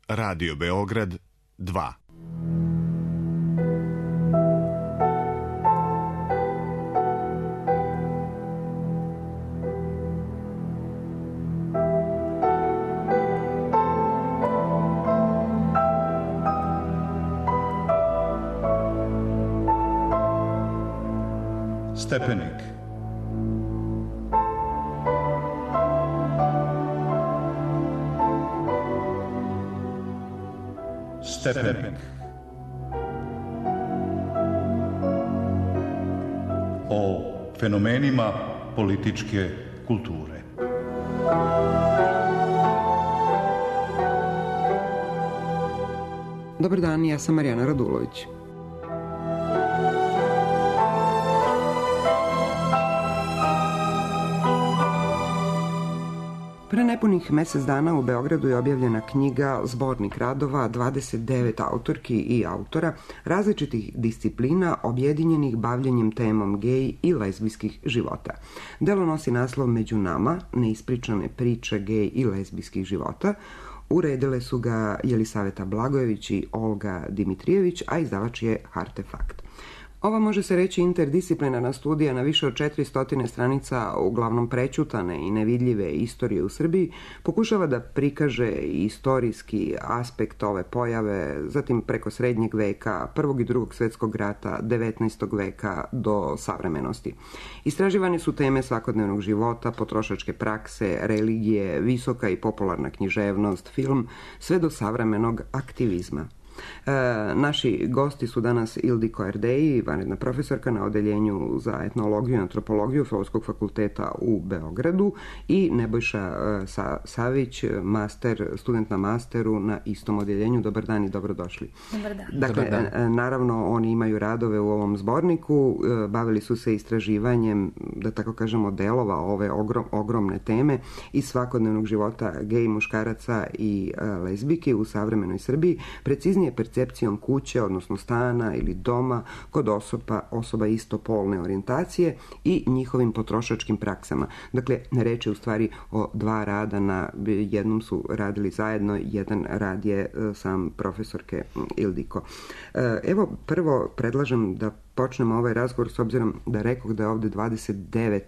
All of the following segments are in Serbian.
Radio Beograd 2. Stepenik. Stepenik. O fenomenima političke kulture. Dobar dan, ja sam Marijana Radulović. Pre nepunih mesec dana u Beogradu je objavljena knjiga Zbornik radova 29 autorki i autora različitih disciplina objedinjenih bavljenjem temom gej i lezbijskih života. Delo nosi naslov Među nama, neispričane priče gej i lezbijskih života. Uredile su ga Jelisaveta Blagojević i Olga Dimitrijević, a izdavač je Artefakt. Ova može se reći interdisciplinarna studija na više od 400 stranica, uglavnom prećutane i nevidljive istorije u Srbiji, pokušava da prikaže istorijski aspekt ove pojave, zatim preko srednjeg veka, Prvog i Drugog svjetskog rata, 19. veka do savremenosti. Istraživane su teme svakodnevnog života, potrošačke prakse, religije, visoka i popularna književnost, film, sve do savremenog aktivizma. Naši gosti su danas Ildiko Erdeji, vanredna profesorka na odeljenju za etnologiju i antropologiju Filozofskog fakulteta u Beogradu, i Nebojša Savić, student na masteru na istom odeljenju. Dobar dan i dobrodošli. Dobar dan. Dakle, Dobar dan. Naravno, oni imaju radove u ovom zborniku, bavili su se istraživanjem, da tako kažemo, delova ove ogromne teme iz svakodnevnog života gej muškaraca i lezbijki u savremenoj Srbiji, preciznije percepcijom kuće, odnosno stana ili doma kod osoba istopolne orijentacije i njihovim potrošačkim praksama. Dakle, reč je u stvari o dva rada, na jednom su radili zajedno, jedan rad je sam profesorke Ildiko. Evo, prvo predlažem da počnemo ovaj razgovor, s obzirom da rekoh da je ovde 29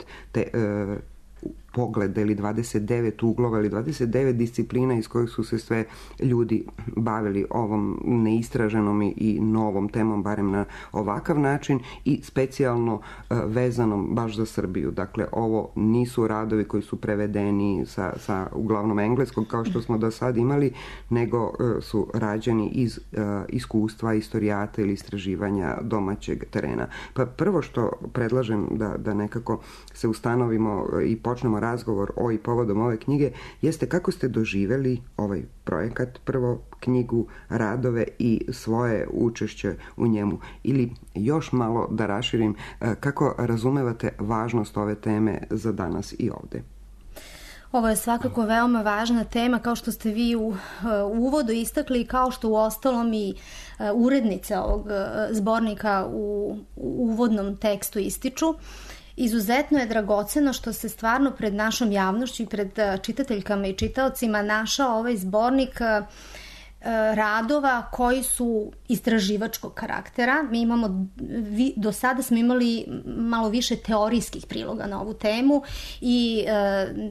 pogleda ili 29 uglova ili 29 disciplina iz kojih su se sve ljudi bavili ovom neistraženom i novom temom, barem na ovakav način, i specijalno vezanom baš za Srbiju. Dakle, ovo nisu radovi koji su prevedeni sa uglavnom engleskog, kao što smo do sad imali, nego su rađeni iz iskustva istorijata ili istraživanja domaćeg terena. Pa prvo što predlažem da nekako se ustanovimo i počnemo razgovor o i povodom ove knjige, jeste kako ste doživeli ovaj projekat, prvo knjigu, radove i svoje učešće u njemu, ili još malo da raširim, kako razumevate važnost ove teme za danas i ovde? Ovo je svakako veoma važna tema, kao što ste vi u uvodu istakli, kao što u ostalom i urednice ovog zbornika u uvodnom tekstu ističu. Izuzetno je dragoceno što se stvarno pred našom javnošću i pred čitateljkama i čitaocima našao ovaj zbornik radova koji su istraživačkog karaktera. Mi imamo, do sada smo imali malo više teorijskih priloga na ovu temu i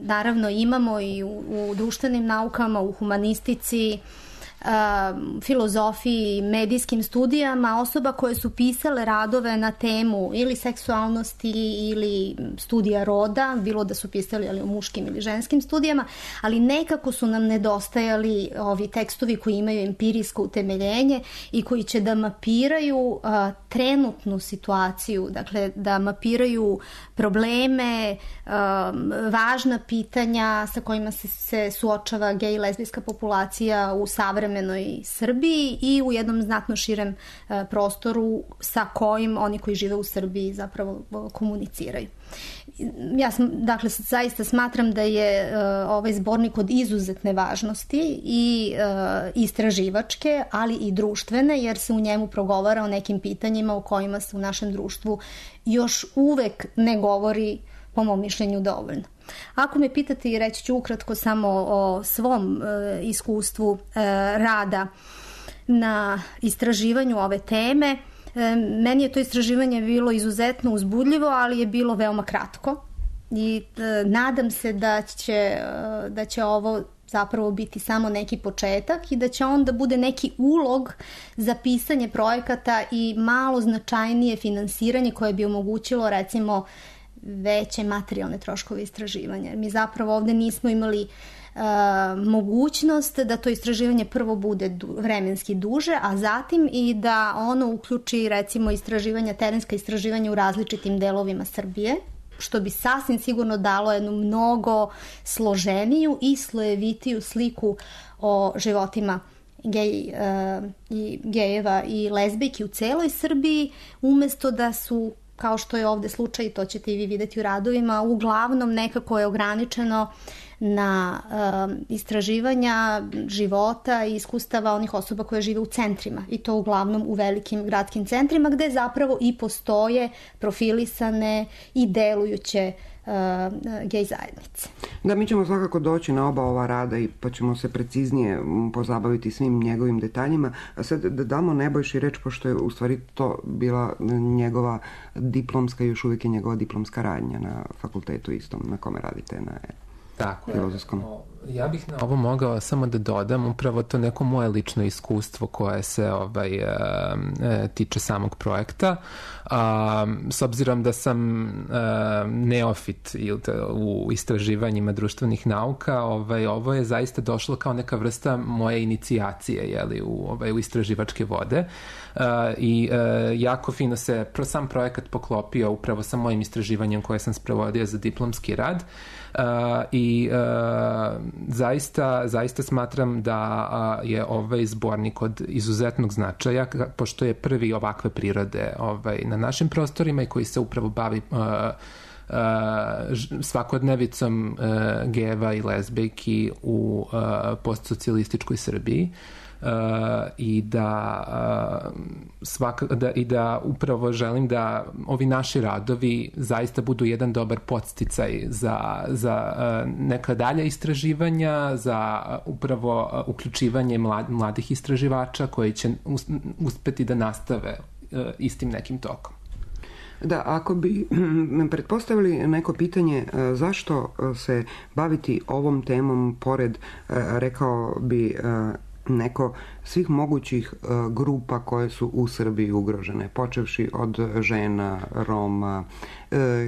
naravno imamo i u društvenim naukama, u humanistici, filozofiji, medijskim studijama osoba koje su pisale radove na temu ili seksualnosti ili studija roda, bilo da su pisali o muškim ili ženskim studijama, ali nekako su nam nedostajali ovi tekstovi koji imaju empirijsko utemeljenje i koji će da mapiraju trenutnu situaciju, dakle da mapiraju probleme, važna pitanja sa kojima se suočava gej i lezbijska populacija u savremenoj Srbiji i u jednom znatno širem prostoru sa kojim oni koji žive u Srbiji zapravo komuniciraju. Ja dakle, zaista smatram da je ovaj zbornik od izuzetne važnosti i istraživačke, ali i društvene, jer se u njemu progovara o nekim pitanjima o kojima se u našem društvu još uvek ne govori po mom mišljenju dovoljno. Ako me pitate, i reći ću ukratko samo o svom iskustvu rada na istraživanju ove teme, meni je to istraživanje bilo izuzetno uzbudljivo, ali je bilo veoma kratko i nadam se da će ovo zapravo biti samo neki početak i da će onda bude neki ulog za pisanje projekata i malo značajnije finansiranje koje bi omogućilo recimo veće materijalne troškove istraživanja. Mi zapravo ovde nismo imali mogućnost da to istraživanje prvo bude vremenski duže, a zatim i da ono uključi recimo terenska istraživanja u različitim delovima Srbije, što bi sasvim sigurno dalo jednu mnogo složeniju i slojevitiju sliku o životima gejeva i lezbijki u celoj Srbiji, umesto da su, kao što je ovde slučaj, to ćete i vi videti u radovima, uglavnom nekako je ograničeno na istraživanja života i iskustava onih osoba koje žive u centrima, i to uglavnom u velikim gradskim centrima gde zapravo i postoje profilisane i delujuće gej zajednice. Da, mi ćemo svakako doći na oba ova rada i pa ćemo se preciznije pozabaviti svim njegovim detaljima. A sad da damo Nebojši reč, pošto je u stvari to bila njegova diplomska, još uvijek je njegova diplomska radnja na fakultetu istom na kome radite na filozofskom. Ja bih na ovo mogao samo da dodam upravo to neko moje lično iskustvo koje se tiče samog projekta. S obzirom da sam neofit u istraživanjima društvenih nauka, ovo je zaista došlo kao neka vrsta moje inicijacije u istraživačke vode. I jako fino se sam projekat poklopio upravo sa mojim istraživanjem koje sam sprovodio za diplomski rad. I zaista smatram da je ovaj zbornik od izuzetnog značaja, pošto je prvi ovakve prirode na našim prostorima i koji se upravo bavi svakodnevicom gejeva i lezbijki u postsocijalističkoj Srbiji. I da upravo želim da ovi naši radovi zaista budu jedan dobar podsticaj za neka dalja istraživanja, za upravo uključivanje mladih istraživača koji će uspeti da nastave istim nekim tokom. Da, ako bi pretpostavili neko pitanje zašto se baviti ovom temom pored, rekao bi neko svih mogućih grupa koje su u Srbiji ugrožene, počevši od žena, Roma,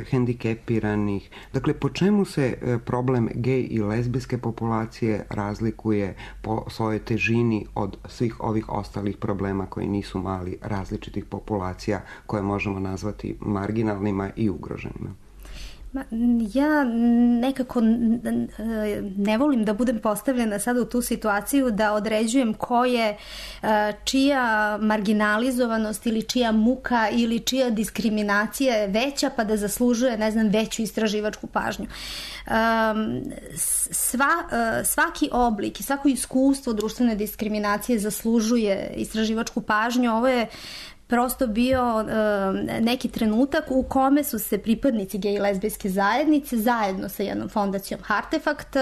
hendikepiranih. Dakle, po čemu se problem gej i lezbijske populacije razlikuje po svojoj težini od svih ovih ostalih problema koji nisu mali, različitih populacija koje možemo nazvati marginalnima i ugroženima? Ja nekako ne volim da budem postavljena sada u tu situaciju da određujem ko je čija marginalizovanost ili čija muka ili čija diskriminacija je veća pa da zaslužuje, veću istraživačku pažnju. Svaki oblik i svako iskustvo društvene diskriminacije zaslužuje istraživačku pažnju. Ovo je prosto bio neki trenutak u kome su se pripadnici gej i lezbijske zajednice zajedno sa jednom fondacijom Artefakt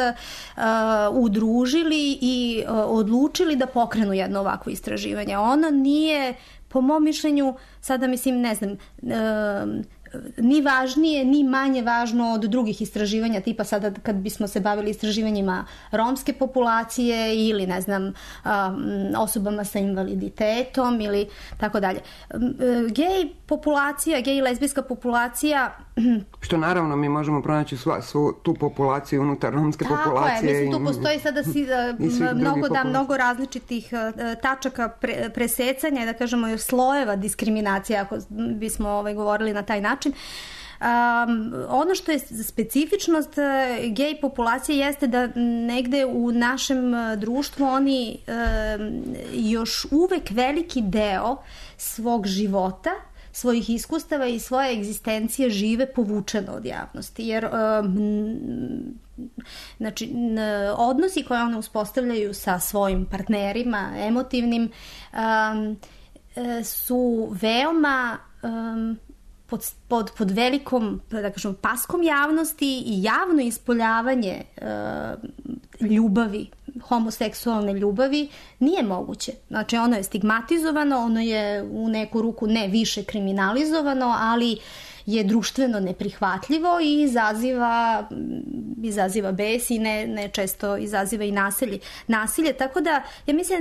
udružili i odlučili da pokrenu jedno ovakvo istraživanje. Ono nije, po mom mišljenju, sada ni važnije, ni manje važno od drugih istraživanja, tipa sada kad bismo se bavili istraživanjima romske populacije ili, osobama sa invaliditetom ili tako dalje. Gej i lezbijska populacija... Što naravno mi možemo pronaći svu tu populaciju unutar romske populacije. Tako je, tu postoji sada mnogo različitih tačaka presecanja i da kažemo slojeva diskriminacije, ako bismo govorili na taj način. Ono što je specifičnost gej populacije jeste da negde u našem društvu oni još uvek veliki deo svog života, svojih iskustava i svoje egzistencije žive povučeno od javnosti, jer odnosi koje one uspostavljaju sa svojim partnerima emotivnim su veoma pod velikom, da kažem, paskom javnosti i javno ispoljavanje ljubavi, homoseksualne ljubavi nije moguće. Znači ono je stigmatizovano, ono je u neku ruku ne više kriminalizovano, ali je društveno neprihvatljivo i izaziva bes i ne često izaziva i nasilje. Tako da ja mislim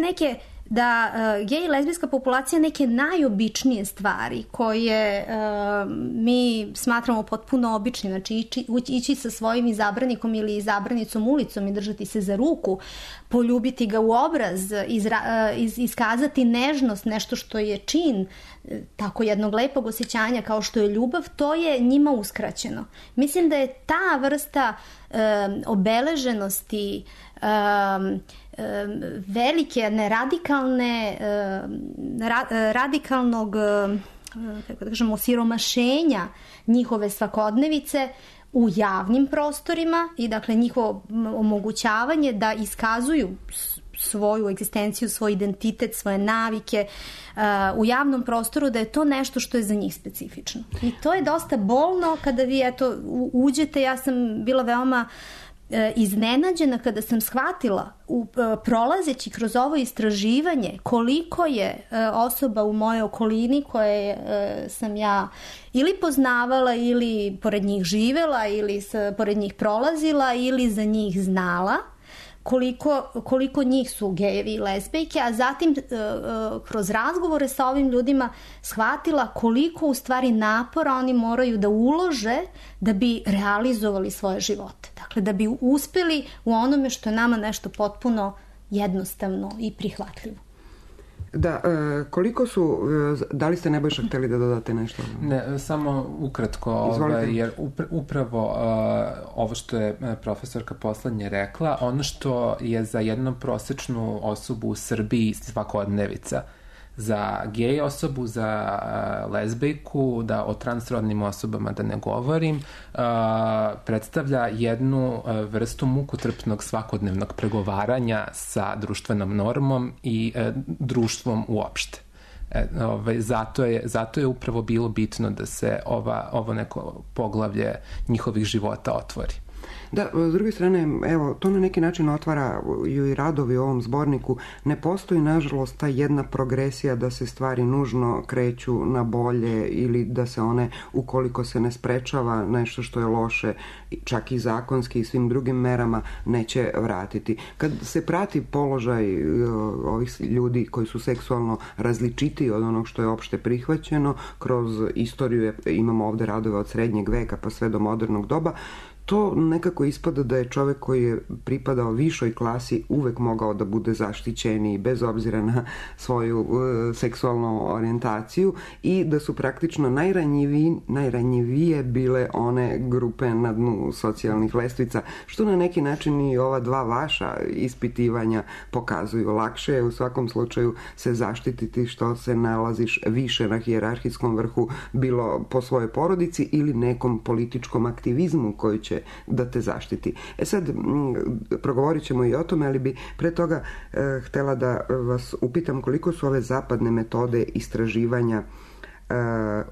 da gej i lezbijska populacija neke najobičnije stvari koje mi smatramo potpuno običnim, znači ići sa svojim izabranikom ili izabranicom ulicom i držati se za ruku, poljubiti ga u obraz, iskazati nežnost, nešto što je čin tako jednog lepog osjećanja kao što je ljubav, to je njima uskraćeno. Mislim da je ta vrsta obeleženosti, velike, radikalnog, kako da kažemo, osiromašenja njihove svakodnevice u javnim prostorima i dakle njihovo omogućavanje da iskazuju svoju egzistenciju, svoj identitet, svoje navike u javnom prostoru, da je to nešto što je za njih specifično. I to je dosta bolno kada vi uđete. Ja sam bila veoma iznenađena kada sam shvatila prolazeći kroz ovo istraživanje koliko je osoba u mojoj okolini koje sam ja ili poznavala ili pored njih živela ili pored njih prolazila ili za njih znala, koliko njih su gejevi i lezbijke, a zatim kroz razgovore sa ovim ljudima shvatila koliko u stvari napora oni moraju da ulože da bi realizovali svoje živote. Dakle, da bi uspeli u onome što je nama nešto potpuno jednostavno i prihvatljivo. Da, koliko su, da li ste Nebojša hteli da dodate nešto? Ne, samo ukratko, jer upravo ovo što je profesorka poslednje rekla, ono što je za jednu prosečnu osobu u Srbiji svakodnevica, za gej osobu, za lezbijku, da o transrodnim osobama da ne govorim, predstavlja jednu vrstu mukotrpnog svakodnevnog pregovaranja sa društvenom normom i društvom uopšte. Zato je upravo bilo bitno da se ovo neko poglavlje njihovih života otvori. Da, s druge strane, evo, to na neki način otvaraju i radovi u ovom zborniku. Ne postoji, nažalost, ta jedna progresija da se stvari nužno kreću na bolje ili da se one, ukoliko se ne sprečava nešto što je loše, čak i zakonski i svim drugim merama, neće vratiti. Kad se prati položaj ovih ljudi koji su seksualno različitiji od onog što je opšte prihvaćeno, kroz istoriju imamo ovde radove od srednjeg veka pa sve do modernog doba, to nekako ispada da je čovek koji je pripadao višoj klasi uvek mogao da bude zaštićeniji bez obzira na svoju seksualnu orijentaciju i da su praktično najranjivije bile one grupe na dnu socijalnih lestvica, što na neki način i ova dva vaša ispitivanja pokazuju. Lakše je u svakom slučaju se zaštititi što se nalaziš više na hijerarhijskom vrhu, bilo po svojoj porodici ili nekom političkom aktivizmu koji će da te zaštiti. Sad, progovorit ćemo i o tome, ali bi pre toga htela da vas upitam koliko su ove zapadne metode istraživanja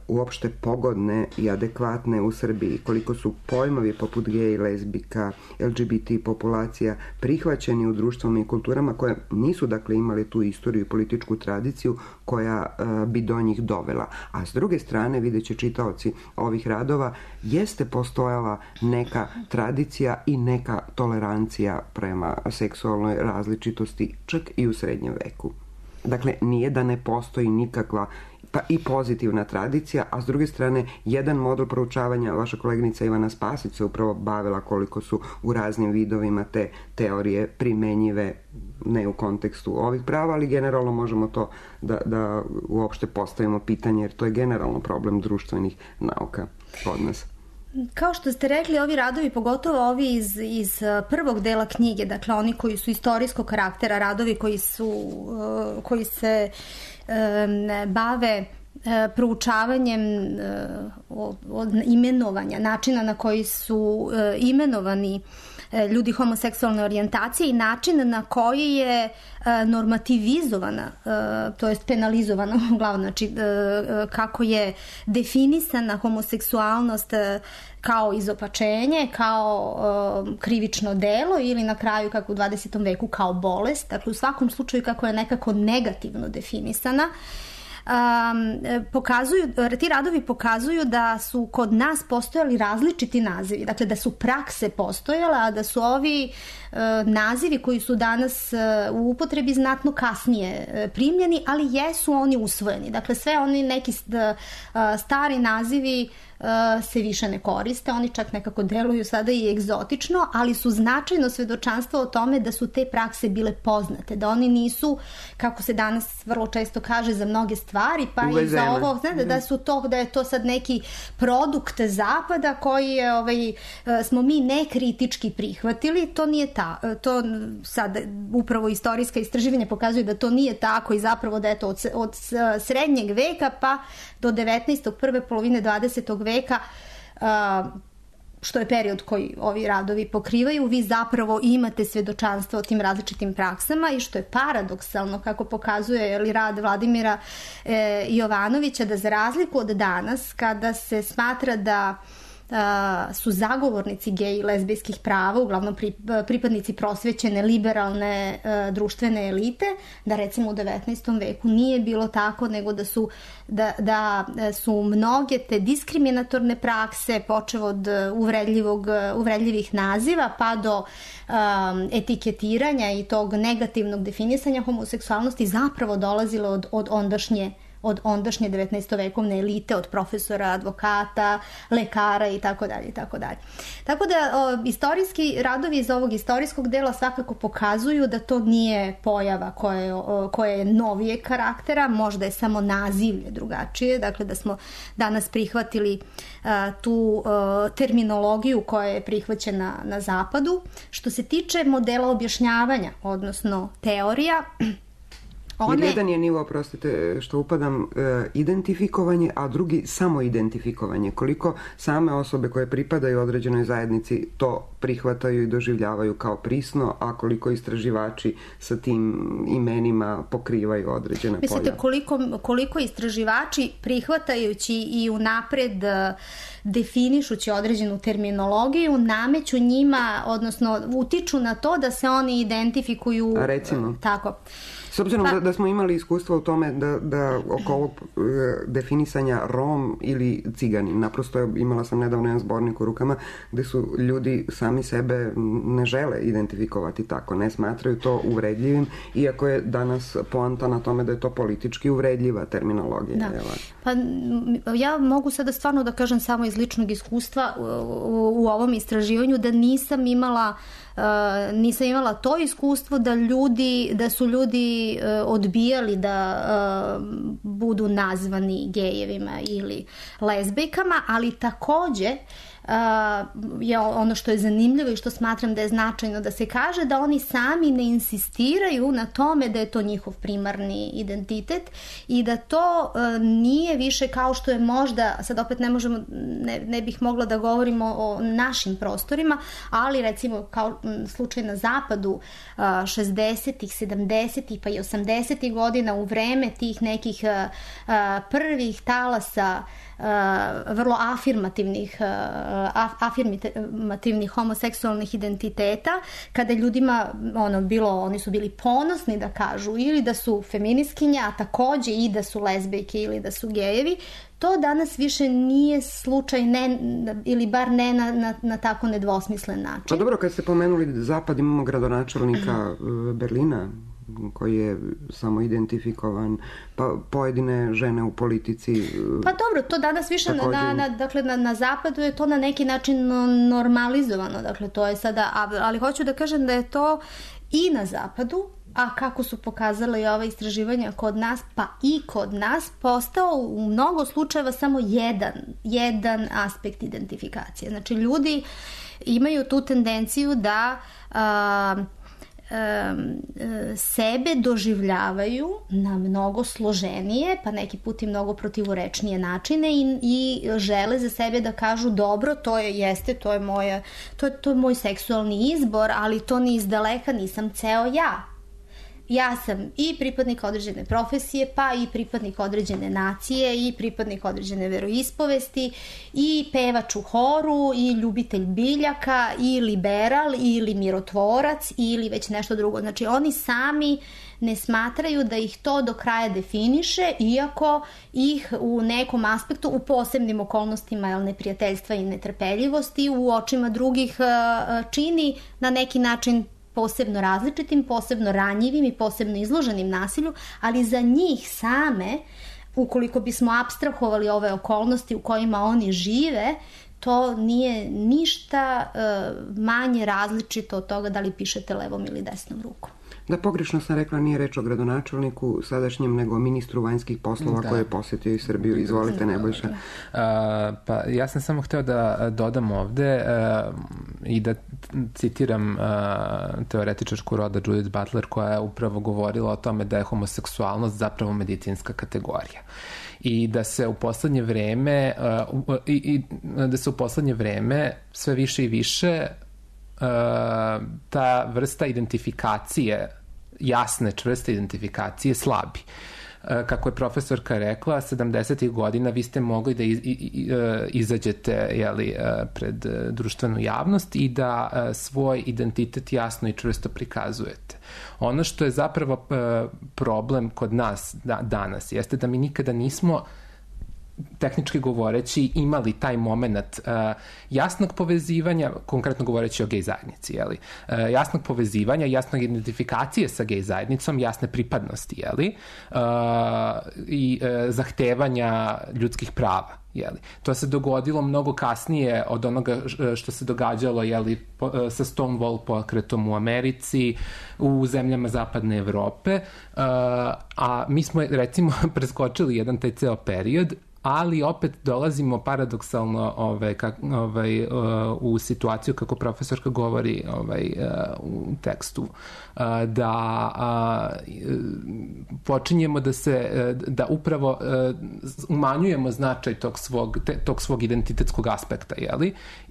uopšte pogodne i adekvatne u Srbiji, koliko su pojmovi poput gej, lezbika, LGBT populacija prihvaćeni u društvama i kulturama koje nisu dakle imali tu istoriju i političku tradiciju koja bi do njih dovela. A s druge strane, vidjet će čitaoci ovih radova, jeste postojala neka tradicija i neka tolerancija prema seksualnoj različitosti čak i u srednjem veku. Dakle, nije da ne postoji nikakva pa i pozitivna tradicija, a s druge strane jedan model proučavanja, vaša koleginica Ivana Spasić se upravo bavila koliko su u raznim vidovima te teorije primenjive, ne u kontekstu ovih prava, ali generalno možemo to da uopšte postavimo pitanje, jer to je generalno problem društvenih nauka kod nas. Kao što ste rekli, ovi radovi, pogotovo ovi iz prvog dela knjige, dakle oni koji su istorijskog karaktera, radovi koji se bave proučavanjem imenovanja, načina na koji su imenovani ljudi homoseksualne orijentacije i način na koji je normativizovana, to jest penalizovana uglavnom, znači kako je definisana homoseksualnost kao izopačenje, kao krivično delo ili na kraju kako u 20. veku kao bolest, dakle u svakom slučaju kako je nekako negativno definisana. Ti radovi pokazuju da su kod nas postojali različiti nazivi, dakle da su prakse postojale, a da su ovi nazivi koji su danas u upotrebi znatno kasnije primljeni, ali jesu oni usvojeni. Dakle, sve oni neki stari nazivi se više ne koriste, oni čak nekako deluju sada i egzotično, ali su značajno svedočanstvo o tome da su te prakse bile poznate, da oni nisu, kako se danas vrlo često kaže, za mnoge stvari, pa uvezene. I za ovo, da je to sad neki produkt zapada koji je, smo mi nekritički prihvatili. To nije to sad upravo istorijska istraživanja pokazuju da to nije tako i zapravo da je to od srednjeg veka pa do 19. prve polovine 20. veka, što je period koji ovi radovi pokrivaju, vi zapravo imate svedočanstvo o tim različitim praksama i što je paradoksalno, kako pokazuje rad Vladimira Jovanovića, da za razliku od danas, kada se smatra da su zagovornici gej i lezbijskih prava, uglavnom pripadnici prosvećene, liberalne društvene elite, da recimo u 19. veku nije bilo tako, nego da su mnoge te diskriminatorne prakse, počev od uvredljivih naziva pa do etiketiranja i tog negativnog definisanja homoseksualnosti zapravo dolazile od ondašnje 19-vekovne elite, od profesora, advokata, lekara i tako dalje. Tako da istorijski radovi iz ovog istorijskog dela svakako pokazuju da to nije pojava koja je novijeg karaktera, možda je samo nazivlje drugačije, dakle da smo danas prihvatili tu terminologiju koja je prihvaćena na zapadu. Što se tiče modela objašnjavanja, odnosno teorija, jer jedan je nivo, prostite što upadam, identifikovanje, a drugi samoidentifikovanje. Koliko same osobe koje pripadaju određenoj zajednici to prihvataju i doživljavaju kao prisno, a koliko istraživači sa tim imenima pokrivaju određene polja. Mislite koliko istraživači prihvatajući i unapred definišući određenu terminologiju nameću njima, odnosno utiču na to da se oni identifikuju. A recimo? Tako. S obzirom da smo imali iskustva u tome da oko ovog definisanja Rom ili Ciganin, naprosto imala sam nedavno jedan zbornik u rukama gde su ljudi sami sebe ne žele identifikovati tako, ne smatraju to uvredljivim, iako je danas poanta na tome da je to politički uvredljiva terminologija. Da. Pa ja mogu sada stvarno da kažem samo iz ličnog iskustva u ovom istraživanju da nisam imala to iskustvo da su ljudi odbijali da budu nazvani gejevima ili lezbijkama, ali takođe je ono što je zanimljivo i što smatram da je značajno da se kaže, da oni sami ne insistiraju na tome da je to njihov primarni identitet i da to nije više kao što je možda, sad opet ne bih mogla da govorimo o našim prostorima, ali recimo kao slučaj na zapadu 60-ih, 70-ih pa i 80-ih godina u vreme tih nekih prvih talasa vrlo afirmativnih homoseksualnih identiteta, kada ljudima oni su bili ponosni da kažu ili da su feministkinja, a takođe i da su lezbijke ili da su gejevi, to danas više nije slučaj, ili bar ne na tako nedvosmislen način. Pa dobro, kad ste pomenuli zapad, imamo gradonačelnika Berlina koji je samo identifikovan, pa pojedine žene u politici. Pa dobro, to danas više na zapadu je to na neki način normalizovano, dakle to je sada, ali hoću da kažem da je to i na zapadu, a kako su pokazale i ova istraživanja kod nas, pa i kod nas, postao u mnogo slučajeva samo jedan aspekt identifikacije. Znači ljudi imaju tu tendenciju da sebe doživljavaju na mnogo složenije, pa neki put i mnogo protivorečnije načine i žele za sebe da kažu dobro, to je moj seksualni izbor, ali to ni izdaleka nisam ceo ja. Ja sam i pripadnik određene profesije, pa i pripadnik određene nacije i pripadnik određene veroispovesti i pevač u horu i ljubitelj biljaka i liberal ili mirotvorac ili već nešto drugo. Znači oni sami ne smatraju da ih to do kraja definiše, iako ih u nekom aspektu, u posebnim okolnostima neprijateljstva i netrpeljivosti, u očima drugih čini na neki način posebno različitim, posebno ranjivim i posebno izloženim nasilju, ali za njih same, ukoliko bismo apstrahovali ove okolnosti u kojima oni žive, to nije ništa manje različito od toga da li pišete levom ili desnom rukom. Da, pogrešno sam rekla, nije reč o gradonačelniku sadašnjem, nego o ministru vanjskih poslova koji je posjetio i Srbiju. Izvolite, Nebojša. Pa ja sam samo hteo da dodam ovde i da citiram teoretičarku roda Judith Butler, koja je upravo govorila o tome da je homoseksualnost zapravo medicinska kategorija. I da se u poslednje vreme sve više i više ta vrsta identifikacije, jasne, čvrste identifikacije slabi. Kako je profesorka rekla, 70. godina vi ste mogli da izađete pred društvenu javnost i da svoj identitet jasno i čvrsto prikazujete. Ono što je zapravo problem kod nas danas jeste da mi nikada nismo, tehnički govoreći, imali taj moment jasnog povezivanja, konkretno govoreći o gej zajednici, jasnog povezivanja, jasnog identifikacije sa gej zajednicom, jasne pripadnosti, i zahtevanja ljudskih prava. To se dogodilo mnogo kasnije od onoga što se događalo sa Stonewall pokretom u Americi, u zemljama zapadne Evrope, a mi smo recimo preskočili jedan taj ceo period, ali opet dolazimo paradoksalno u situaciju, kako profesorka govori u tekstu, da počinjemo da upravo umanjujemo značaj tog svog identitetskog aspekta,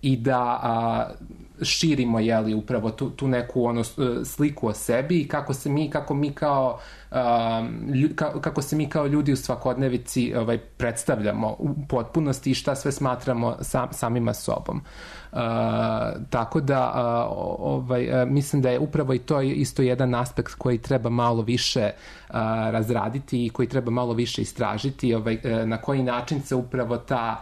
i da širimo upravo tu neku sliku o sebi i kako se mi kao ljudi u svakodnevici predstavljamo u potpunosti i šta sve smatramo samima sobom. Tako da mislim da je upravo i to isto jedan aspekt koji treba malo više razraditi i koji treba malo više istražiti, na koji način se upravo ta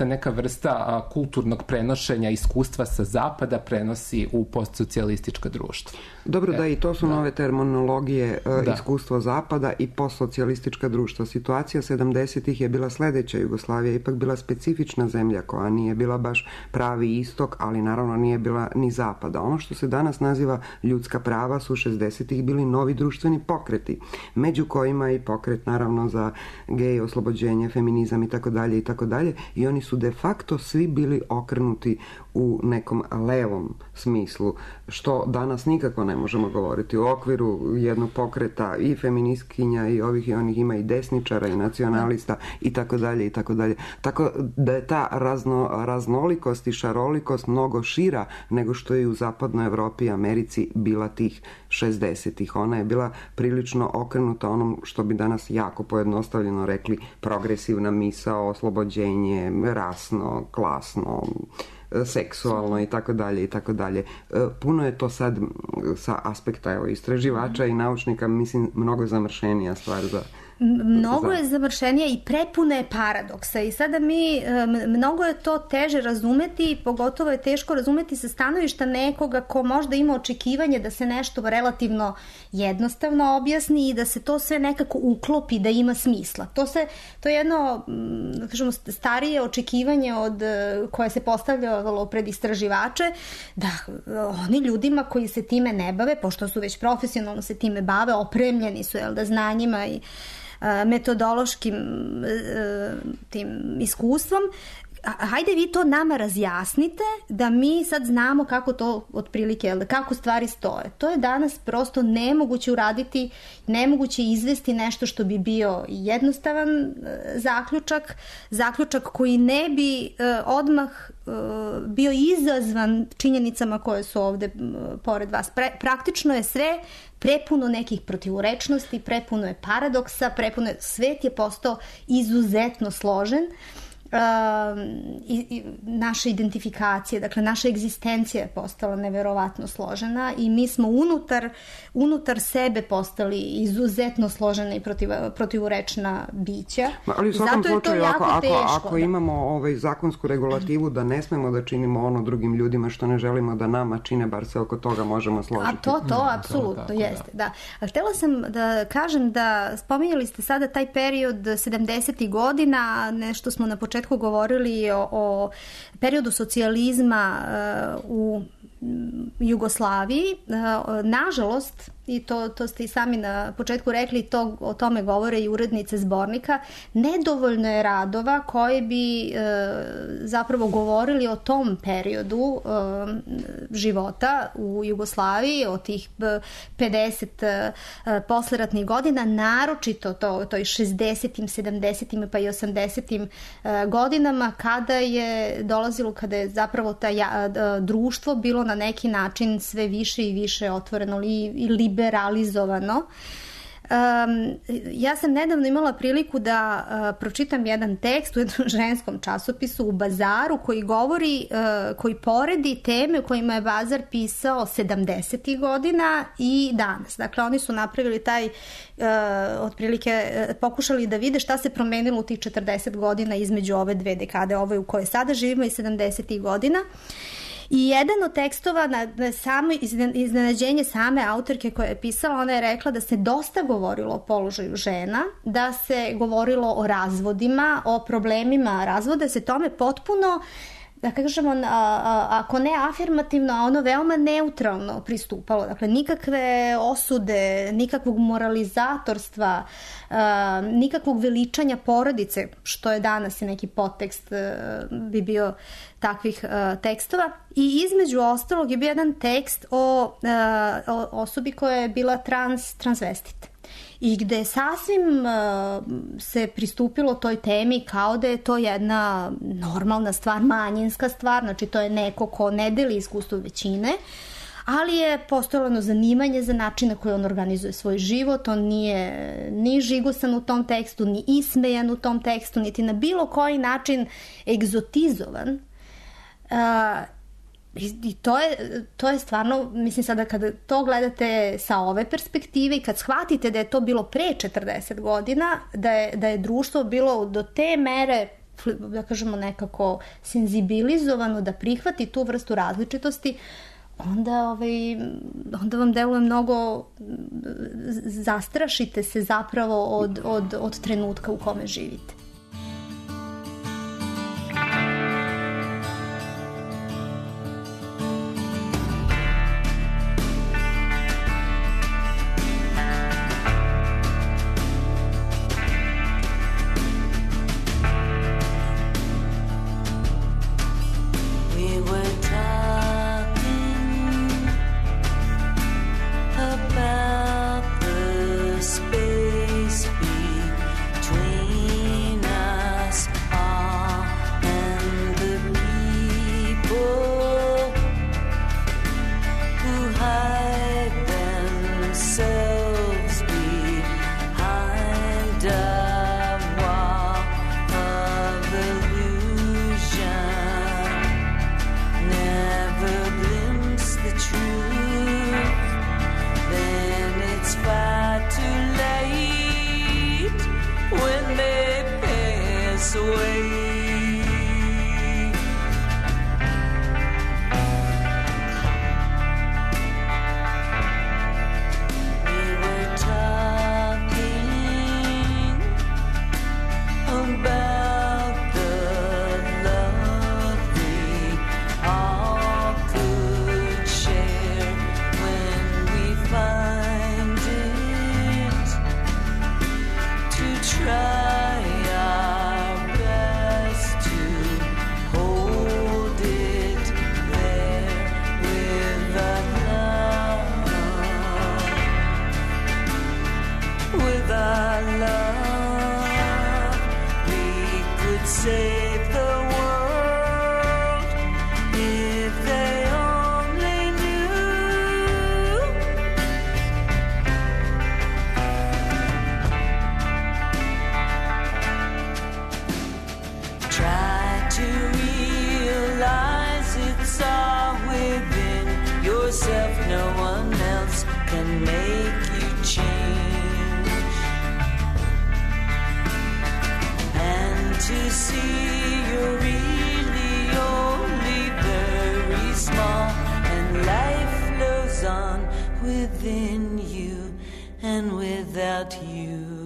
neka vrsta kulturnog prenošenja iskustva sa zapada prenosi u postsocijalistička društva. Dobro, da, i to su nove terminologije, iskustvo zapada i postsocijalistička društva. Situacija 70-ih je bila sledeća. Jugoslavija je ipak bila specifična zemlja koja nije bila baš pravi istok, ali naravno nije bila ni zapada. Ono što se danas naziva ljudska prava su 60-ih bili novi društveni pokreti, među kojima i pokret naravno za gej, oslobođenje, feminizam i tako dalje, i oni su de facto svi bili okrenuti u nekom levom smislu, što danas nikako ne možemo govoriti. U okviru jednog pokreta i feministkinja i ovih i onih ima i desničara i nacionalista i tako dalje. Tako da je ta raznolikost i šarolikost mnogo šira nego što je u zapadnoj Evropi i Americi bila tih 60-ih. Ona je bila prilično okrenuta onom što bi danas jako pojednostavljeno rekli progresivna misao, oslobođenje, rasno, klasno, seksualno i tako dalje. Puno je to sad sa aspekta istraživača i naučnika, mislim, mnogo zamršenija stvar za... Mnogo je zamršenija i prepuna je paradoksa i sada mnogo je to teže razumeti i pogotovo je teško razumeti sa stanovišta nekoga ko možda ima očekivanje da se nešto relativno jednostavno objasni i da se to sve nekako uklopi, da ima smisla. To je jedno, da kažemo, starije očekivanje koje se postavljalo pred istraživače, da oni ljudima koji se time ne bave, pošto su već profesionalno se time bave, opremljeni su znanjima i metodološkim tim iskustvom, hajde vi to nama razjasnite da mi sad znamo kako to otprilike, kako stvari stoje. To je danas prosto nemoguće uraditi, nemoguće izvesti nešto što bi bio jednostavan zaključak koji ne bi odmah bio izazvan činjenicama koje su ovde pored vas. Praktično je sve prepuno nekih protivurečnosti, prepuno je paradoksa, svet je postao izuzetno složen. I naša identifikacija, dakle naša egzistencija je postala neverovatno složena i mi smo unutar sebe postali izuzetno složena i protivurečna bića. Ali u svakom slučaju, ako imamo zakonsku regulativu da ne smemo da činimo ono drugim ljudima što ne želimo da nama čine, bar se oko toga možemo složiti. A to apsolutno jeste, da. Htela sam da kažem da spominjali ste sada taj period 70. godina, nešto smo na početku govorili o periodu socijalizma u Jugoslaviji. Nažalost, i to ste i sami na početku rekli, o tome govore i urednice zbornika, nedovoljno je radova koji bi zapravo govorili o tom periodu života u Jugoslaviji, o tih 50 posleratnih godina, naročito toj 60. 70. pa i 80. godinama kada je zapravo društvo bilo na neki način sve više i više otvoreno i liberalizovano. Ja sam nedavno imala priliku da pročitam jedan tekst u jednom ženskom časopisu u Bazaru koji poredi teme u kojima je Bazar pisao 70. godina i danas. Dakle, oni su napravili otprilike pokušali da vide šta se promenilo u tih 40 godina između ove dve dekade, ove u kojoj sada živimo i 70. godina. I jedan od tekstova na samo iznenađenje same autorke koja je pisala, ona je rekla da se dosta govorilo o položaju žena, da se govorilo o razvodima, o problemima razvoda, se tome potpuno, da kažemo, ako ne afirmativno, a ono veoma neutralno pristupalo. Dakle, nikakve osude, nikakvog moralizatorstva, nikakvog veličanja porodice, što je danas i neki podtekst bi bio takvih tekstova. I između ostalog je bio jedan tekst o osobi koja je bila transvestit. I gde sasvim se pristupilo toj temi kao da je to jedna normalna stvar, manjinska stvar, znači to je neko ko ne deli iskustvo većine, ali je postojalo zanimanje za način na koji on organizuje svoj život, on nije ni žigosan u tom tekstu, ni ismejan u tom tekstu, niti na bilo koji način egzotizovan. I to je stvarno, mislim sada kada to gledate sa ove perspektive i kad shvatite da je to bilo pre 40 godina, da je društvo bilo do te mere, da kažemo, nekako senzibilizovano da prihvati tu vrstu različitosti, onda vam deluje mnogo, zastrašite se zapravo od trenutka u kome živite. About the space between our love, we could save the world if they only knew. Try to realize it's all within yourself. No one else can make you change. And to see you're really only very small, and life flows on within you and without you.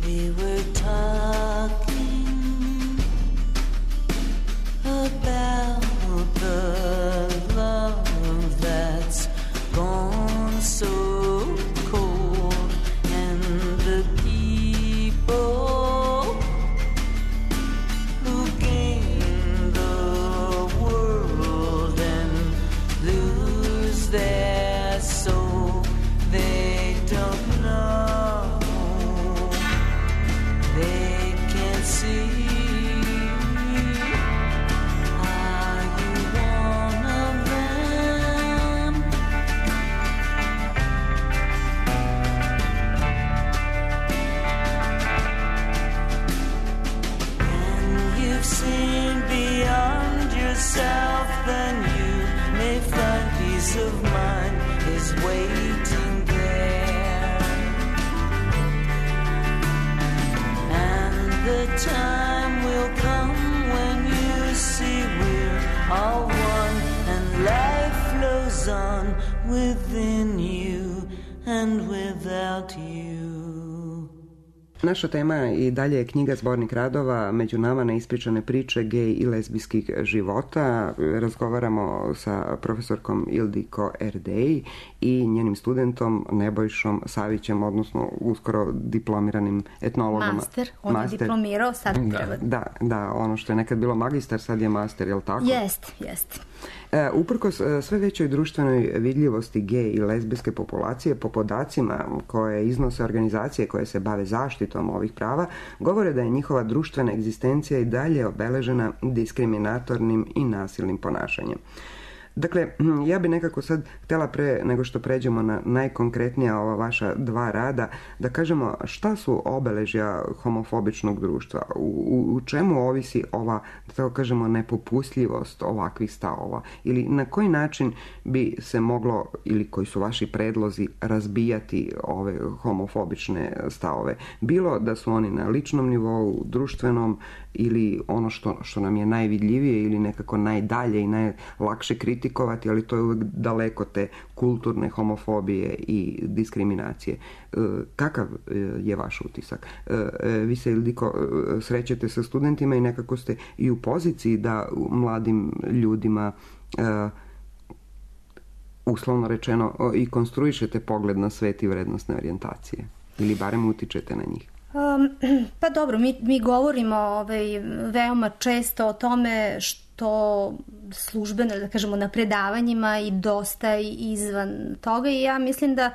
We were talking about the love that's gone so cold, and the people who gain the world and lose their soul. They don't know. They can't see. Are you one of them? When you've seen beyond yourself, then you may find peace of mind is waiting there. The time will come when you see we're all one, and life flows on within you and without you. Naša tema i dalje je knjiga Zbornik radova Među nama neispričane priče gej i lezbijskih života. Razgovaramo sa profesorkom Ildiko Erdej i njenim studentom Nebojšom Savićem, odnosno uskoro diplomiranim etnologom. Master, on je diplomirao, sad treba. Da, ono što je nekad bilo magistar, sad je master, je li tako? Jest. Uprkos sve većoj društvenoj vidljivosti gej i lezbijske populacije, po podacima koje iznose organizacije koje se bave zaštitom ovih prava, govore da je njihova društvena egzistencija i dalje obeležena diskriminatornim i nasilnim ponašanjem. Dakle, ja bi nekako sad htjela pre nego što pređemo na najkonkretnija ova vaša dva rada, da kažemo šta su obeležja homofobičnog društva, u čemu ovisi ova, da tako kažemo, nepopustljivost ovakvih stavova, ili na koji način bi se moglo, ili koji su vaši predlozi, razbijati ove homofobične stavove, bilo da su oni na ličnom nivou, društvenom, ili ono što nam je najvidljivije ili nekako najdalje i najlakše kritikovati, ali to je uvijek daleko te kulturne homofobije i diskriminacije. Kakav je vaš utisak? Vi se, Ildiko, srećete sa studentima i nekako ste i u poziciji da mladim ljudima uslovno rečeno i konstruišete pogled na svet i vrednostne orijentacije, ili barem utičete na njih. Pa dobro, mi govorimo veoma često o tome što službeno, da kažemo, na predavanjima i dosta izvan toga, i ja mislim da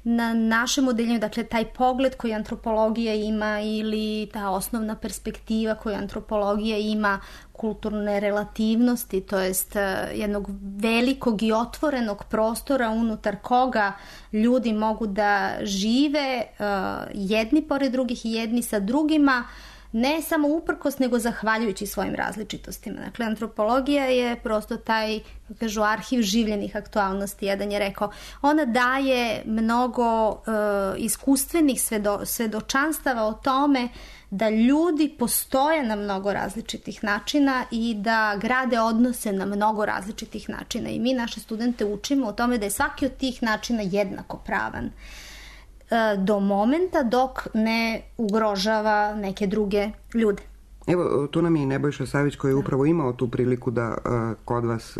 na našem odeljenju, dakle taj pogled koji antropologija ima ili ta osnovna perspektiva koju antropologija ima kulturne relativnosti, to jest jednog velikog i otvorenog prostora unutar koga ljudi mogu da žive jedni pored drugih i jedni sa drugima, ne samo uprkos, nego zahvaljujući svojim različitostima. Dakle, antropologija je prosto taj, kažu, arhiv življenih aktualnosti. Jedan je rekao, ona daje mnogo iskustvenih svedočanstava o tome da ljudi postoje na mnogo različitih načina i da grade odnose na mnogo različitih načina. I mi naše studente učimo o tome da je svaki od tih načina jednako pravan do momenta dok ne ugrožava neke druge ljude. Evo, tu nam je i Nebojša Savić koji je upravo imao tu priliku da kod vas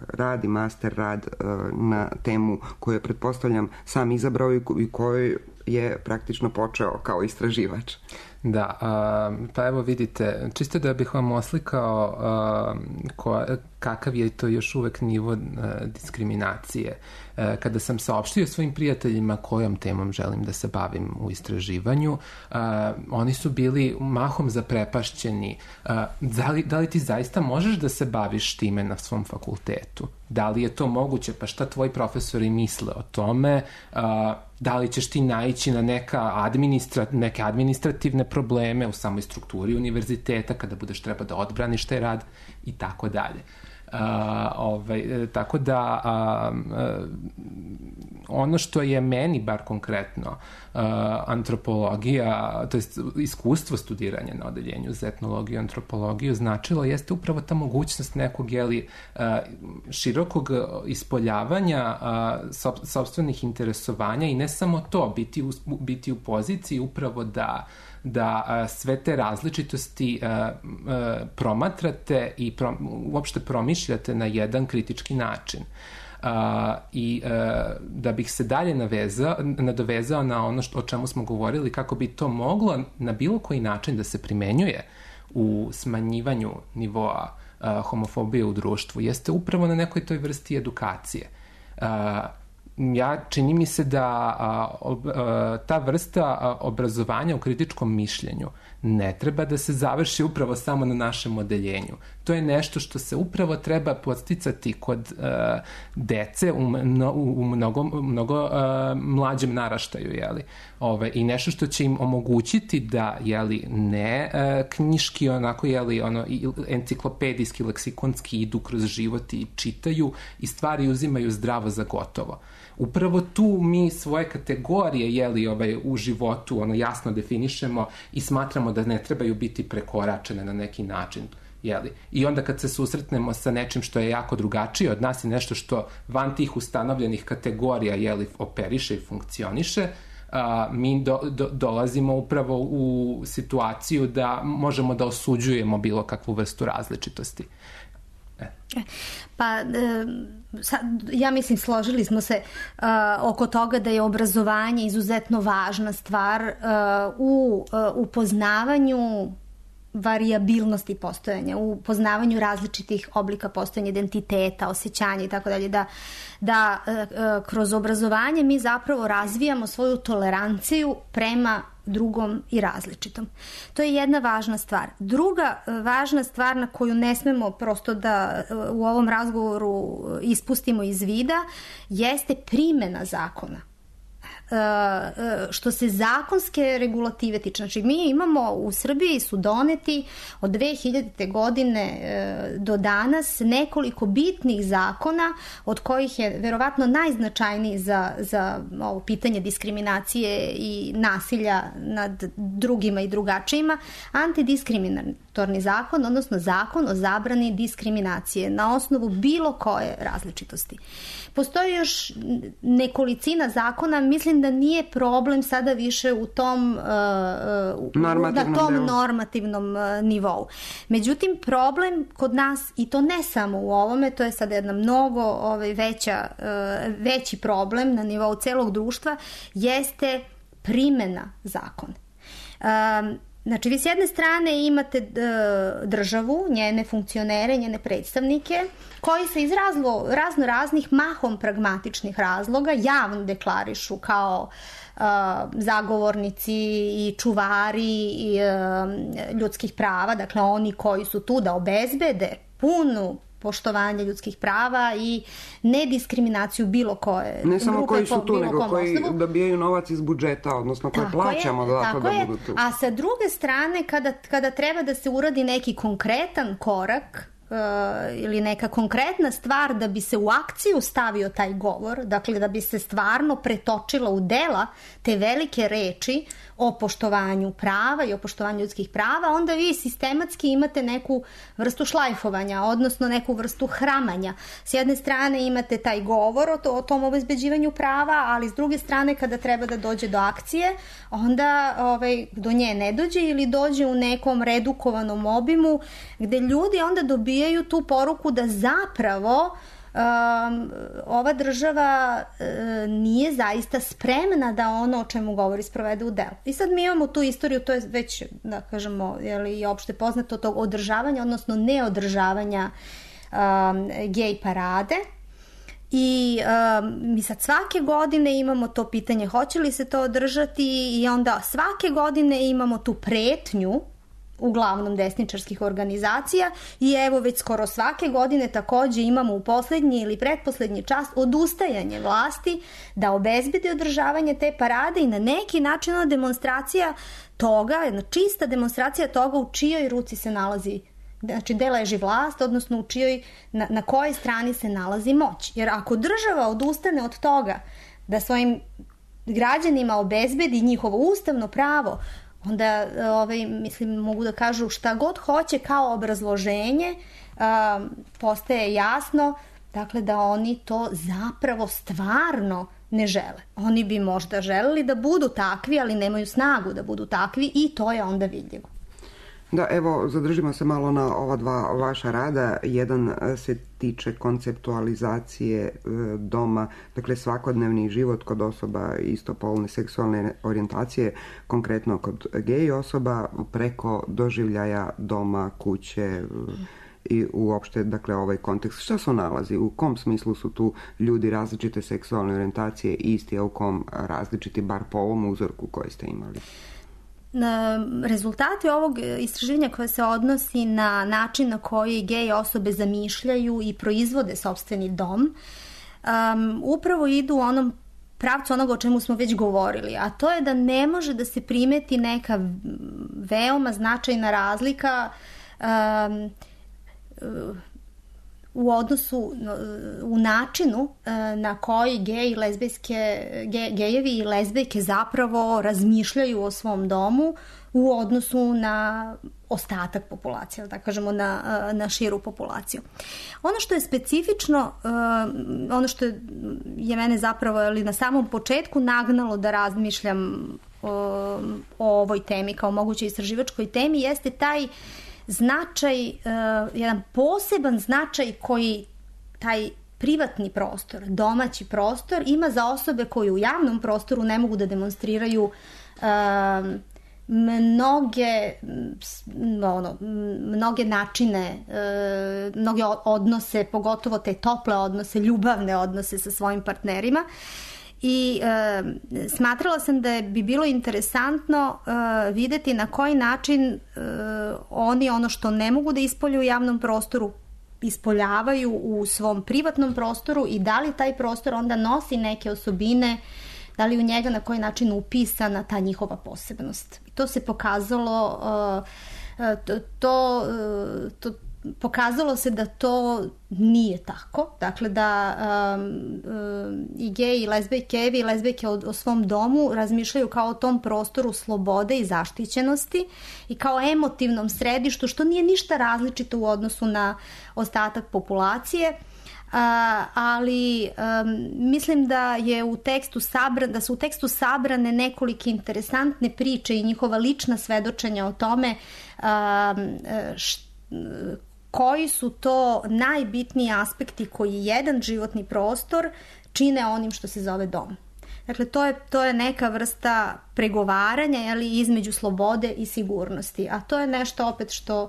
radi master rad na temu koju je, pretpostavljam, sam izabrao i koju je praktično počeo kao istraživač. Da, pa evo vidite, čisto da bih vam oslikao kakav je to još uvek nivo diskriminacije. Kada sam saopštio svojim prijateljima kojom temom želim da se bavim u istraživanju, oni su bili mahom zaprepašćeni. Da li ti zaista možeš da se baviš time na svom fakultetu? Da li je to moguće? Pa šta tvoji profesori misle o tome? Da li ćeš ti naići na neke administrativne probleme u samoj strukturi univerziteta kada budeš treba da odbraniš taj rad i tako dalje. Tako da ono što je meni bar konkretno antropologija, to jest iskustvo studiranja na odeljenju za etnologiju i antropologiju značilo jeste upravo ta mogućnost nekog širokog ispoljavanja sopstvenih interesovanja i ne samo to, biti u poziciji upravo da sve te različitosti promatrate i uopšte promišljate na jedan kritički način. I da bih se dalje nadovezao na ono o čemu smo govorili, kako bi to moglo na bilo koji način da se primenjuje u smanjivanju nivoa homofobije u društvu, jeste upravo na nekoj toj vrsti edukacije. Čini mi se da ta vrsta obrazovanja u kritičkom mišljenju ne treba da se završi upravo samo na našem odeljenju. To je nešto što se upravo treba podsticati kod dece u mnogo mlađem naraštaju, i nešto što će im omogućiti da, ne knjiški, onako, enciklopedijski, leksikonski idu kroz život i čitaju i stvari uzimaju zdravo za gotovo. Upravo tu mi svoje kategorije u životu jasno definišemo i smatramo da ne trebaju biti prekoračene na neki način. I onda kad se susretnemo sa nečim što je jako drugačije od nas i nešto što van tih ustanovljenih kategorija operiše i funkcioniše, mi dolazimo upravo u situaciju da možemo da osuđujemo bilo kakvu vrstu različitosti. Pa ja mislim složili smo se oko toga da je obrazovanje izuzetno važna stvar u upoznavanju varijabilnosti postojanja, u poznavanju različitih oblika postojanja, identiteta, osjećanja i tako dalje, da kroz obrazovanje mi zapravo razvijamo svoju toleranciju prema drugom i različitom. To je jedna važna stvar. Druga važna stvar na koju ne smemo prosto da u ovom razgovoru ispustimo iz vida jeste primjena zakona. Što se zakonske regulative tiče. Znači, mi imamo u Srbiji su doneti od 2000. godine do danas nekoliko bitnih zakona, od kojih je verovatno najznačajniji za ovo pitanje diskriminacije i nasilja nad drugima i drugačijima, antidiskriminatorni zakon, odnosno zakon o zabrani diskriminacije na osnovu bilo koje različitosti. Postoji još nekolicina zakona, mislim da nije problem sada više u tom normativnom nivou. Međutim, problem kod nas, i to ne samo u ovome, to je sada jedna mnogo veći problem na nivou celog društva, jeste primjena zakona. Znači, vi s jedne strane imate državu, njene funkcionere, njene predstavnike, koji se iz razno raznih mahom pragmatičnih razloga javno deklarišu kao zagovornici i čuvari ljudskih prava, dakle oni koji su tu da obezbede punu poštovanje ljudskih prava i nediskriminaciju bilo koje ne samo grupe, koji su tu, nego koji osnovu. dobijaju novac iz budžeta, odnosno koji plaćamo da budu tu. A sa druge strane, kada treba da se uradi neki konkretan korak ili neka konkretna stvar da bi se u akciju stavio taj govor, dakle da bi se stvarno pretočila u dela te velike reči o poštovanju prava i o poštovanju ljudskih prava, onda vi sistematski imate neku vrstu šlajfovanja, odnosno neku vrstu hramanja. S jedne strane imate taj govor o tom obezbeđivanju prava, ali s druge strane kada treba da dođe do akcije, onda do nje ne dođe ili dođe u nekom redukovanom obimu gde ljudi onda dobijaju tu poruku da zapravo ova država nije zaista spremna da ono o čemu govori sprovede u delo. I sad mi imamo tu istoriju, to je već, da kažemo, i opšte poznato tog održavanja, odnosno neodržavanja gej parade. I mi sad svake godine imamo to pitanje hoće li se to održati i onda svake godine imamo tu pretnju uglavnom desničarskih organizacija i evo već skoro svake godine takođe imamo u poslednji ili pretposlednji čas odustajanje vlasti da obezbedi održavanje te parade i na neki način ona demonstracija toga, jedna čista demonstracija toga u čijoj ruci se nalazi, znači gde leži vlast, odnosno u čijoj, na kojoj strani se nalazi moć. Jer ako država odustane od toga da svojim građanima obezbedi njihovo ustavno pravo, onda mislim mogu da kažu šta god hoće kao obrazloženje, postaje jasno dakle da oni to zapravo stvarno ne žele. Oni bi možda želeli da budu takvi, ali nemaju snagu da budu takvi i to je onda vidljivo. Da, evo, zadržimo se malo na ova dva vaša rada. Jedan se tiče konceptualizacije doma, dakle svakodnevni život kod osoba istopolne seksualne orijentacije, konkretno kod gej osoba, preko doživljaja doma, kuće i uopšte, dakle, ovaj kontekst. Šta se nalazi? U kom smislu su tu ljudi različite seksualne orijentacije isti, a u kom različiti, bar po ovom uzorku koji ste imali? Rezultati ovog istraživanja koje se odnosi na način na koji gej osobe zamišljaju i proizvode sopstveni dom upravo idu u onom pravcu onoga o čemu smo već govorili, a to je da ne može da se primeti neka veoma značajna razlika u odnosu, u načinu na koji gejevi i lezbijke zapravo razmišljaju o svom domu u odnosu na ostatak populacije, da kažemo na širu populaciju. Ono što je specifično, ono što je mene zapravo na samom početku nagnalo da razmišljam o ovoj temi kao mogućoj istraživačkoj temi jeste taj značaj, jedan poseban značaj koji taj privatni prostor, domaći prostor ima za osobe koje u javnom prostoru ne mogu da demonstriraju mnoge načine, mnoge odnose, pogotovo te tople odnose, ljubavne odnose sa svojim partnerima. I smatrala sam da bi bilo interesantno videti na koji način oni ono što ne mogu da ispolju u javnom prostoru ispoljavaju u svom privatnom prostoru i da li taj prostor onda nosi neke osobine, da li u njega na koji način upisana ta njihova posebnost. I to se pokazalo, pokazalo se da to nije tako, dakle da i geji i lezbijkevi i lezbijke o svom domu razmišljaju kao o tom prostoru slobode i zaštićenosti i kao emotivnom središtu, što nije ništa različito u odnosu na ostatak populacije, ali mislim da je da su u tekstu sabrane nekolike interesantne priče i njihova lična svedočenja o tome koji su to najbitniji aspekti koji jedan životni prostor čine onim što se zove dom. Dakle, to je neka vrsta pregovaranja, jeli, između slobode i sigurnosti, a to je nešto opet što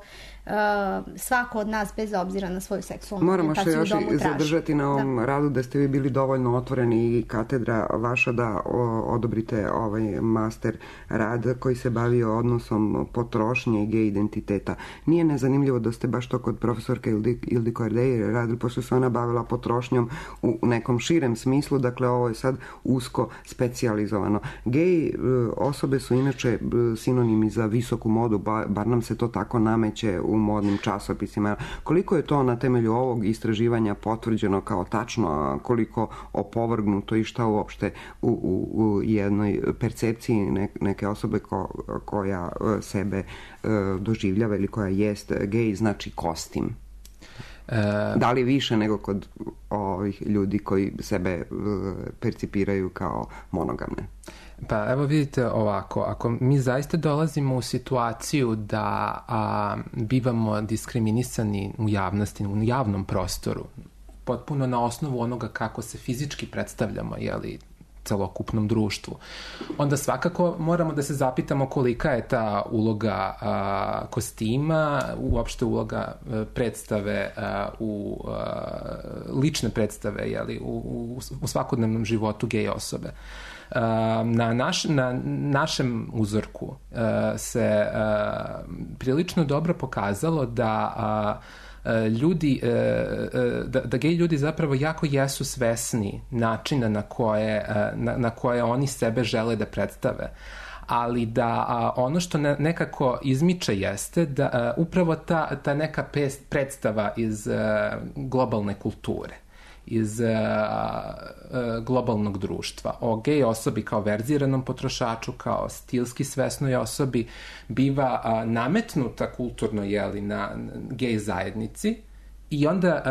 svako od nas, bez obzira na svoju seksualnu orijentaciju, moramo se još i zadržati na ovom radu, da ste vi bili dovoljno otvoreni i katedra vaša da odobrite ovaj master rad koji se bavio odnosom potrošnje i gej identiteta. Nije nezanimljivo da ste baš to kod profesorke Ildiko Erdej radili, pošto se ona bavila potrošnjom u nekom širem smislu, dakle ovo je sad usko specijalizovano. Gej osobe su inače sinonimi za visoku modu, bar nam se to tako nameće u modnim časopisima. Koliko je to na temelju ovog istraživanja potvrđeno kao tačno, a koliko opovrgnuto i šta uopšte u jednoj percepciji neke osobe koja sebe doživljava ili koja jest gej, znači kostim? Da li više nego kod ovih ljudi koji sebe percipiraju kao monogamne? Pa evo vidite ovako, ako mi zaista dolazimo u situaciju da bivamo diskriminisani u javnosti, u javnom prostoru, potpuno na osnovu onoga kako se fizički predstavljamo, jeli, celokupnom društvu, onda svakako moramo da se zapitamo kolika je ta uloga kostima, uopšte uloga predstave, lične predstave, jeli, u svakodnevnom životu gej osobe. Na našem uzorku se prilično dobro pokazalo da da gej ljudi zapravo jako jesu svesni načina na koje oni sebe žele da predstave, ali da ono što nekako izmiče jeste da upravo ta neka predstava iz globalne kulture, iz globalnog društva. O gej osobi kao verziranom potrošaču, kao stilski svesnoj osobi biva nametnuta kulturno, jeli, na gej zajednici i onda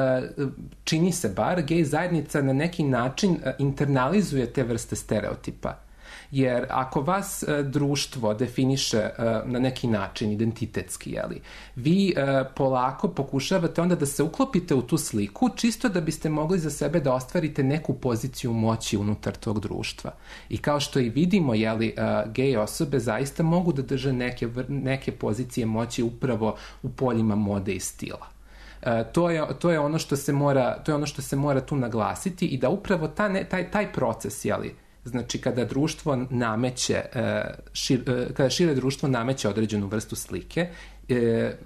čini se bar gej zajednica na neki način internalizuje te vrste stereotipa. Jer ako vas društvo definiše na neki način identitetski, jeli, vi polako pokušavate onda da se uklopite u tu sliku čisto da biste mogli za sebe da ostvarite neku poziciju moći unutar tog društva. I kao što i vidimo, jeli, gej osobe zaista mogu da drže neke pozicije moći upravo u poljima mode i stila. To je ono što se mora tu naglasiti i da upravo taj proces, jeli, znači kada društvo nameće, kada šire društvo nameće određenu vrstu slike,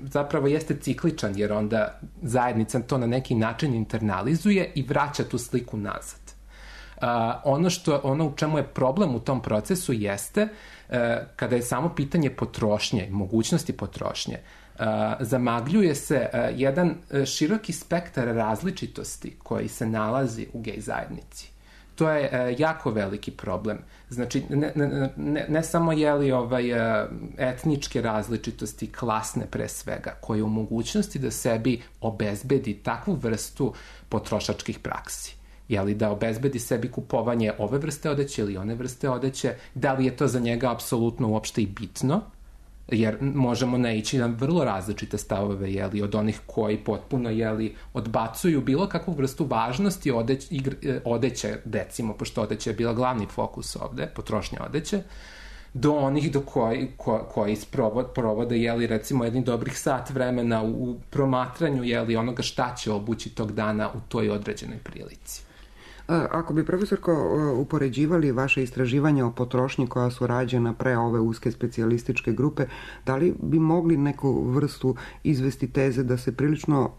zapravo jeste cikličan, jer onda zajednica to na neki način internalizuje i vraća tu sliku nazad. Ono u čemu je problem u tom procesu jeste kada je samo pitanje potrošnje, mogućnosti potrošnje, zamagljuje se jedan široki spektar različitosti koji se nalazi u gej zajednici. To je jako veliki problem. Znači, ne samo etničke različitosti, klasne pre svega, koje u mogućnosti da sebi obezbedi takvu vrstu potrošačkih praksi. Jeli, da obezbedi sebi kupovanje ove vrste odeće ili one vrste odeće, da li je to za njega apsolutno uopšte i bitno, jer možemo naići na vrlo različite stavove, jeli, od onih koji potpuno, jeli, odbacuju bilo kakvu vrstu važnosti odeće, recimo, pošto odeće je bila glavni fokus ovde, potrošnja odeće, do onih koji provode, jeli, recimo, jedni dobrih sat vremena u promatranju, jeli, onoga šta će obući tog dana u toj određenoj prilici. Ako bi, profesorko, upoređivali vaše istraživanja o potrošnji koja su rađena pre ove uske specijalističke grupe, da li bi mogli neku vrstu izvesti teze da se prilično,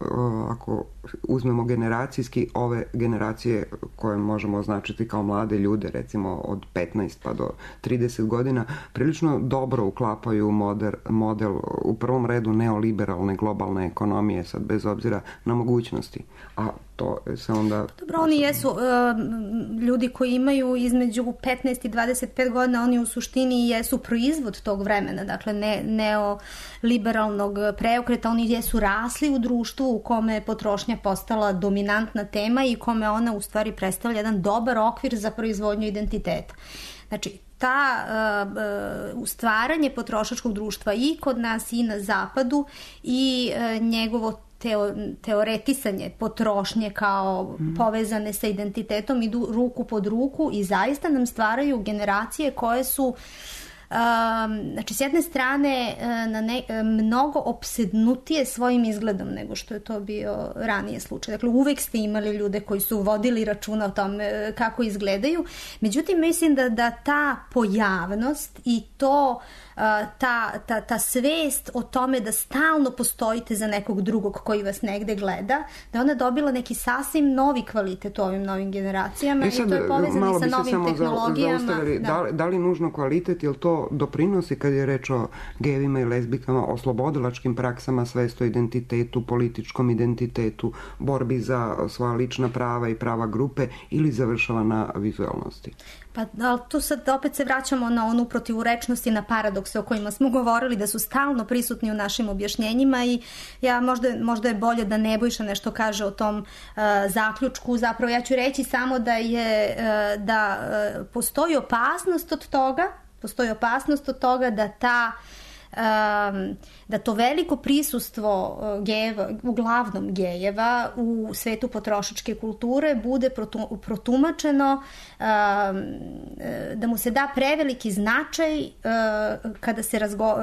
ako uzmemo generacijski, ove generacije koje možemo označiti kao mlade ljude, recimo od 15 pa do 30 godina, prilično dobro uklapaju model u prvom redu neoliberalne globalne ekonomije, sad bez obzira na mogućnosti. A to se onda... Dobro, oni jesu ljudi koji imaju između 15 i 25 godina, oni u suštini jesu proizvod tog vremena, dakle neoliberalnog preokreta, oni jesu rasli u društvu u kome je potrošnja postala dominantna tema i kome ona u stvari predstavlja jedan dobar okvir za proizvodnju identiteta. Znači, stvaranje potrošačkog društva i kod nas i na zapadu i njegovo teoretisanje potrošnje kao povezane sa identitetom idu ruku pod ruku i zaista nam stvaraju generacije koje su znači s jedne strane mnogo opsednutije svojim izgledom nego što je to bio ranije slučaj. Dakle, uvek ste imali ljude koji su vodili računa o tome kako izgledaju. Međutim, mislim da ta pojavnost i to ta svest o tome da stalno postojite za nekog drugog koji vas negde gleda, da ona dobila neki sasvim novi kvalitet u ovim novim generacijama i to je povezano sa novim tehnologijama. Da li nužno kvalitet, jer to doprinosi kad je reč o gejevima i lezbikama, o slobodilačkim praksama, svest o identitetu, političkom identitetu, borbi za svoja lična prava i prava grupe, ili završava na vizualnosti? Pa tu sad opet se vraćamo na onu protivurečnost i na paradokse o kojima smo govorili, da su stalno prisutni u našim objašnjenjima i možda je bolje da Nebojša nešto kaže o tom zaključku. Zapravo ja ću reći samo da postoji opasnost od toga da to veliko prisustvo gejeva, uglavnom gejeva u svetu potrošačke kulture bude protumačeno, da mu se da preveliki značaj kada se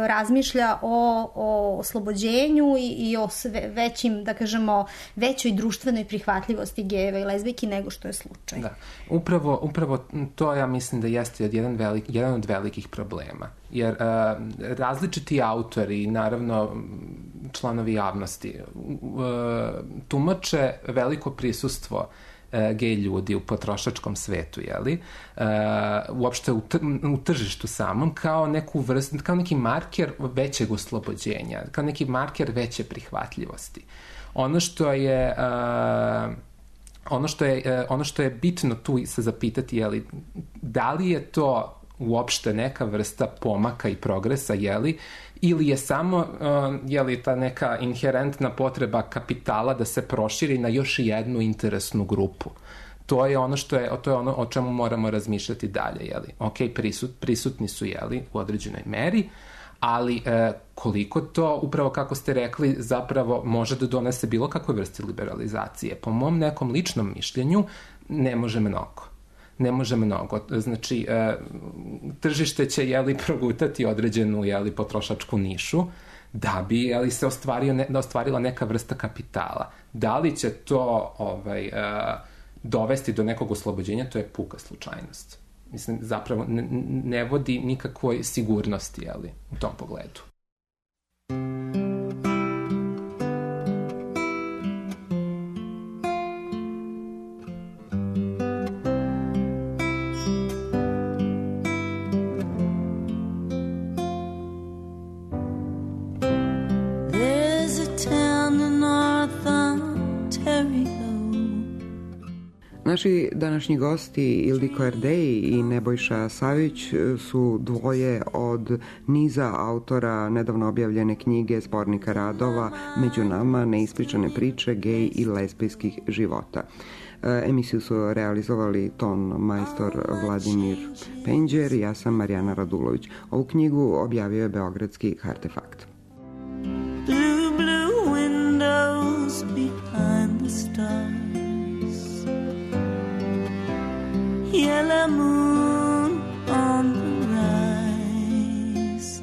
razmišlja o oslobođenju i o većim, da kažemo, većoj društvenoj prihvatljivosti gejeva i lezbijki nego što je slučaj. Da. Upravo to ja mislim da jeste jedan od velikih problema. Jer različiti autori, naravno članovi javnosti, tumače veliko prisustvo gej ljudi u potrošačkom svetu, uopšte u tržištu samom, kao neku vrstu, kao neki marker većeg oslobođenja, kao neki marker veće prihvatljivosti. Ono što je bitno tu se zapitati, da li je to uopšte neka vrsta pomaka i progresa, ili je samo ta neka inherentna potreba kapitala da se proširi na još jednu interesnu grupu. To je ono o čemu moramo razmišljati dalje, Ok, prisutni su, u određenoj meri, ali koliko to, upravo kako ste rekli, zapravo može da donese bilo kakve vrste liberalizacije. Po mom nekom ličnom mišljenju ne može mnogo. Znači, tržište će, progutati određenu, potrošačku nišu da bi, se ostvarila neka vrsta kapitala. Da li će to dovesti do nekog oslobođenja, to je puka slučajnost. Mislim, zapravo ne vodi nikakvoj sigurnosti, u tom pogledu. Naši današnji gosti Ildiko Erdej i Nebojša Savić su dvoje od niza autora nedavno objavljene knjige zbornika radova Među nama, neispričane priče gej i lezbijskih života. Emisiju su realizovali ton majstor Vladimir Penđer i ja sam Marijana Radulović. Ovu knjigu objavio je beogradski Artefakt. Blue, blue windows behind the stars, yellow moon on the rise,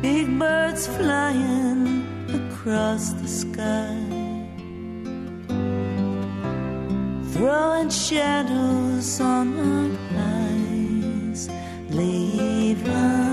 big birds flying across the sky, throwing shadows on our eyes, leave us